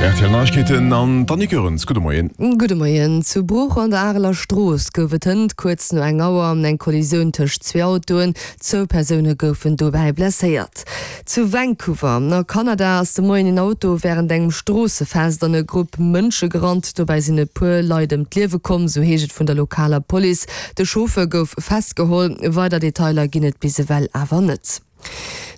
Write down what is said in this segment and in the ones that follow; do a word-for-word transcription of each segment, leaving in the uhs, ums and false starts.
R T L Neiegkeeten an d'Annick Goerens. Gudde Moien. Gudde Moien. Zu Bruch an der Areler Strooss gouf et hënt kuerz no eng Auer eng Kollisioun tëscht zwee Autoen. Zwou Persoune goufen dobäi blesséiert. Zu Vancouver a Kanada ass de Moien en Auto wärend engem Stroossefest an e Grupp Mënsche gerannt. Dobäi sinn e puer Leit ëm d'Liewe komm, sou heescht et vun der lokaler Police. De Chauffer gouf festgeholl. Weider Detailer ginn et bis ewell awer net.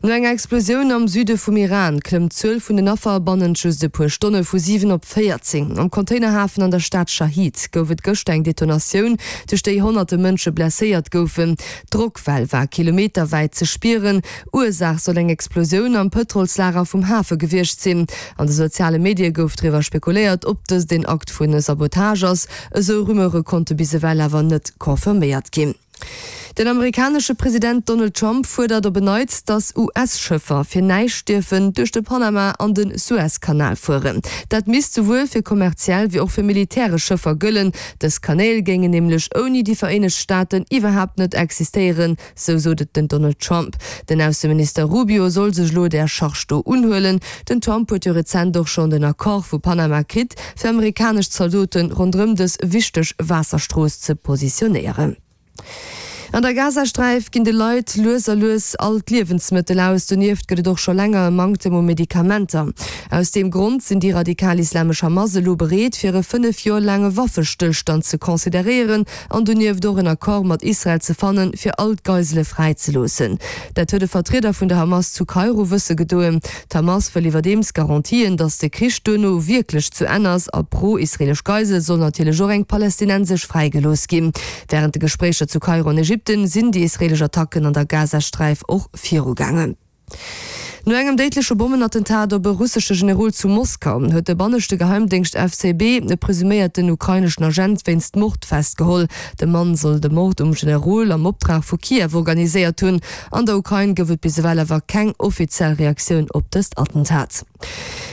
No enger Explosioun am Süde vum Iran klëmmt d'Zuel vun den Affer bannent just e puer Stonne vu siwen op véierzéng. Am Containerhafen an der Stad Shahid gouf et gëschter eng Detonatioun, duerch déi honnerte Mënsche blesséiert goufen. D'Drockwell war kilometerwäit ze spieren. Ursaach soll eng Explosioun am Pëtrolslager vum Hafe gewiescht sinn. An de soziale Medie gouf driwwer spekuléiert, ob dëst een Akt vu Sabotage ass. Esou Rumeure konnte bis ewell awer net confirméiert ginn. Den amerikanesche President Donald Trump fuerdert op en Neits, datt U S-Schëffer fir näischt dierfen duerch de Panama an de Suezkanal fueren. Dat misst souwuel fir kommerziell wéi och fir militäresch Schëffer gëllen. Dës Kanäl géingen nämlech ouni déi Vereenegt Staaten iwwerhaapt net existéieren, sou sot et den Donald Trump. Den Ausseminister Rubio soll sech elo där Charge do unhuelen. Den Trump huet jo rezent och schonn den Accord vu Panama kritt, fir amerikanesch Zaldote ronderëm dës wichteg Waasserstrooss ze positionéieren. An der Gazasträif ginn de Leit lues a lues all d'Liewensmëttel aus. Donieft gëtt et och scho länger e Manktem u Medikamenter. Aus deem Grond sinn déi radikal-islamesch Hamas elo bereet, fir e fënnef Joer laange Waffestëllstand ze consideréieren an donieft och en Accord mat Israel ze fannen, fir all d'Geisele fräizeloossen. Dat huet e Vertrieder vun der Hamas zu Kairo wësse gedoen. D'Hamas wëll iwwerdeems Garantien, datt de Krich duerno wierklech zu Enn ass a pro-israelesch Geisel soll natierlech och eng palästinensesch fräigelooss ginn. Wärend de Gespréicher zu Kairo an Ägypten sinn déi israelesch Attacken an der Gazasträif och virugaangen. No engem déidleche Bommenattentat op e russesche Generol zu Moskau huet de banneschte Geheimdéngscht F S B e presuméierten ukraineschen Agent wéinst Mord festgeholl. De Mann soll de Mord um Generol am Optrag vu Kiew organiséiert hunn. An der Ukrain gouf et bis ewell awer keng offiziell Reaktioun op dëst Attentat.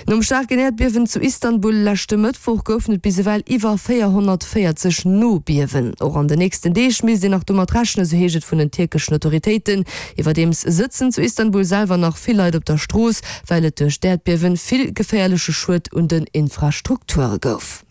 Nom staarken Äerdbiewen zu Istanbul leschte Mëttwoch goufen et bis ewell iwwer véierhonnertvéierzeg Nobiewen. Och an den nächsten Deeg misst een nach domat rechnen, sou heescht et vun den tierkeschen Autoritéiten. Iwwerdeems sëtzen zu Istanbul selwer nach vill Leit op der Strooss, well et duerch d'Äerdbiewe vill geféierleche Schued un den Infrastrukture gouf.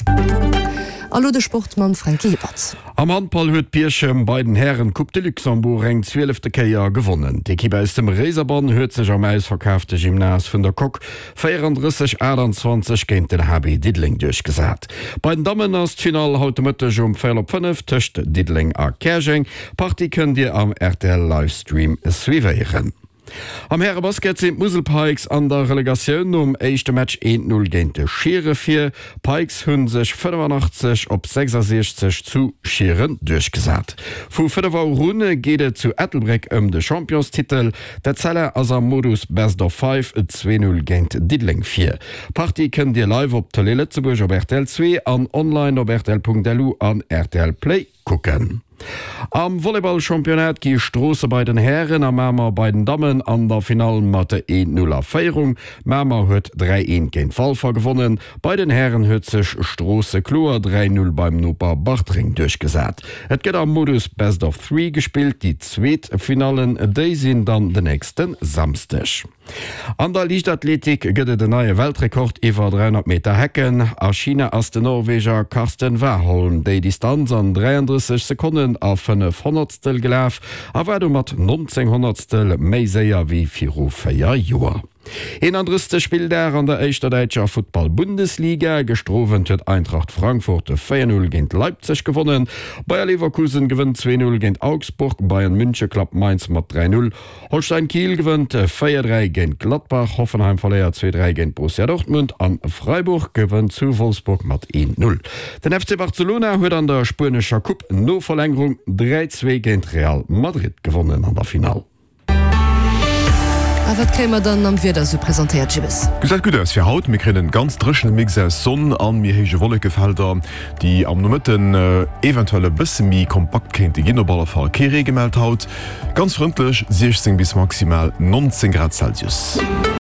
A lo de Sport mam Franky Hippert. Am Handball huet Bierchem bei den Hären d'Coupe de Luxembourg eng zwielefte Kéier gewonnen. D'Ekipp aus dem Réiserbann huet sech am ausverkaafte Gymnase vun der Coque véierandrësseg, aachtanzwanzeg géint den H B Diddeleng duerchgesat. Bei den Dammen ass d'Finall haut de Mëtteg um véierel op fënnef tëscht Diddeleng a Käerjeng. D'Partie kënnt Dir am R T L Livestream suivéieren. Am Härebasket sinn d'Musel Pikes an der Relegatioun nom éischte Match eent Null géint de Schiere vir. D'Pikes hu sech fënnefanaachtzeg op sechsasiechzeg zu Schieren duerchgesat. Vu fënnef Auer un geet et zu Ettelbréck ëm de Championstitel. D'Etzella ass am Modus Best of Five zwee Null géint Diddeleng vir. D'Partie kënnt Dir live op Tëlee Lëtzebuerg op R T L zwee an online op rtl Punkt L U an R T L Play kucken. Am Volleyball-Championnat gi Stroosse bei den Hären a Mamer bei den Dammen an der Finall mat eent Null a Féierung. Mamer huet dräi eent géint Walfer gewonnen. Bei den Hären huet sech Stroosse kloer dräi Null beim Noper Bartreng duerchgesat. Et gëtt am Modus Best of Three gespillt, déi zweet Finallen, déi sinn dann den nächste Samsdeg. An der Liichtathletik gëtt et en neie Weltrekord iwwer dräihonnert Meter Hecken. A China ass den Norweger Karsten Warholm déi Distanz an dräiandrësseg Sekonnen a fënnef Honnertstel gelaf a war domat nonzéng Honnertstel méi séier wéi viru véier Joer. Eenandrëssegste Spilldag an der éischter däitscher Futtball-Bundesliga, Gëschter Owend huet Eintracht Frankfurt véier Null géint Leipzig gewonnen. Bayer Leverkusen gewënnt zwee Null géint Augsburg, Bayern München klappt Mainz mat dräi Null, Holstein Kiel gewënnt véier dräi géint Gladbach, Hoffenheim verléiert zwee dräi géint Borussia Dortmund an Freiburg gewënnt zu Wolfsburg mat eent Null. Den F C Barcelona huet an der spuenescher Coupe no Verlängerung dräi zwee géint Real Madrid gewonnen an der Finall. A wat kréie mer dann am Wieder sou presentéiert, Jibbes? Gesäit gutt aus fir haut. Mir kréien en ganz dréchene Mix aus Sonn an méi héije Wollekefelder, déi am Nomëtten eventuell e bësse méi kompakt kéinte ginn. Op alle Fall kee Ree gemellt haut. Ganz frëndlech siechzéng bis maximal nonzéng Grad Celsius.